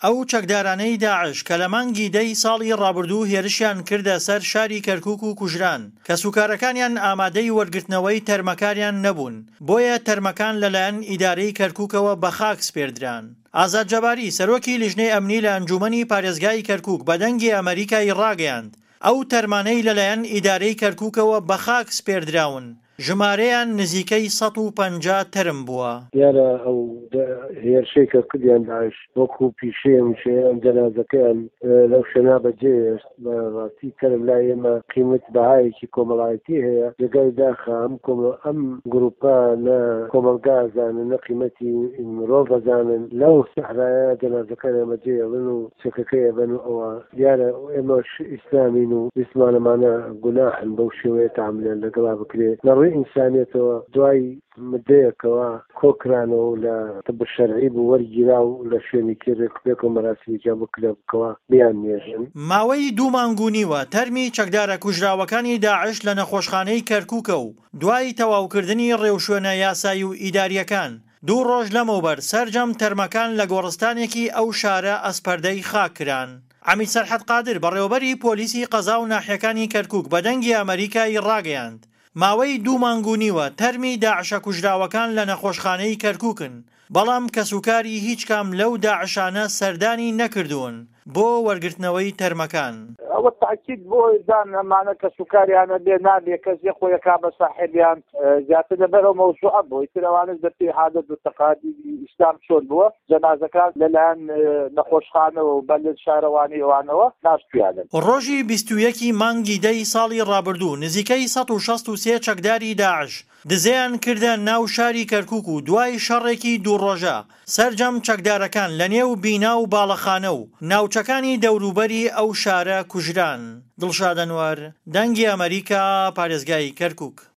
ئەو چەکدارانەی داعش کە لە مانگی دەی ساڵی ڕابردوو هێرشیان کردە سەر شاری کەرکوک و کوژران، کەسوکارەکانیان ئامادەی وەرگرتنەوەی تەرمەکاریان نەبوون، بۆیە تەرمەکان لەلایەن ئیدارەی کەرکوکەوە بەخاک سپێردران. ئازاد جەباری، سەرۆکی لیژنەی ئەمنی لە ئەنجوومەنی پارێزگای کەرکوک بە دەنگی ئەمەریکای ڕاگەیاند، ئەو تەرمانەی لەلایەن ئیدارەی کەرکوکەوە بەخاک سپێردراون، ژمارەیان نزیکەی 150 تەرم بووە. دیارە ئەو هێرشەی کە کردیان داعش وەکو پیشەی هەمیشەیان جەنازەکەیان لەو شوێنە بەجێ هێشت. بە ڕاستی تەرم لای ئێمە قیمەت بەهایەکی کۆمەڵایەتی هەیە. جێگای داخە ئەم کۆمە ئەم گروپە نە کۆمەڵگا ئەزانن نە قیمەتی مرۆڤ ئەزانن. لەو سەحرایە جەنازەکانیان بەجێ ئەڵن و چەکەکەی ئەبەن و ئەوە دیارە ئێمەش ئیسلامین و ویستمان ئەمانە گوناحن بەو شێوەیە تەعامولیان لەگەڵا بکرێ لە ڕووی ئینسانیەتەوە دوای مدەیەکەوە کۆکرانەوە و لە طب شەرعی بوو وەرگیرا و لە شوێنێکی ڕێکوپێک و مەراسیمێکیان بۆ کرا بوو کەوا بیاننێژن. ماوەی دوو مانگ و نیوە تەرمی چەکدارە کوژراوەکانی داعش لە نەخۆشخانەی کەرکوکە و دوای تەواوکردنی ڕێوشوێنە یاسایی و ئیدارییەکان، دوو ڕۆژ لەمەوبەر سەرجەم تەرمەکان لە گۆڕستانێکی ئەو شارە ئەسپەردەی خاک کران. عەمید سەرحەد قادر، بەڕێوەبەری پۆلیسی قەزا و ناحیەکانی کەرکوک بە دەنگی ئەمەریکای ڕاگەیاند، ماوەی دوو مانگ و نیوە تەرمی داعشە کوژراوەکان لە نەخۆشخانەی کەرکوکن، بەڵام کەسوکاری هیچ کام لەو داعشانە سەردانی نەکردوون بۆ وەرگرتنەوەی تەرمەکان. ئەوە تاکید بۆ دان ئەمانە کەسوکاریانە بێ نابێ کەس یە خۆی ئەکا بە ساحێبیان زیاتر لەبەر ئەو مەوزوعە بۆ ئیتر ئەوانەش بە پێی عادەت و تەقالیدی ئیسلام چۆن بووە جەنازەکان لەلایەن نەخۆشخانەوە و بە شارەوانی ئەوانەوە ناشتویانن. ڕۆژی 21 ی مانگی دە ی ساڵی ڕابردوو نزیکەی 163 چەکداری داعش دزەیان کردە ناو شاری کەرکوک و دوای شەڕێکی دوو ڕۆژە سەرجەم چەکدارەکان لە نێو بینا و باڵەخانە و ناوچەکانی دەوروبەری ئەو شارە کوژران. دڵشاد ئەنوەر، دەنگی ئەمەریکا، پارێزگای کەرکوک.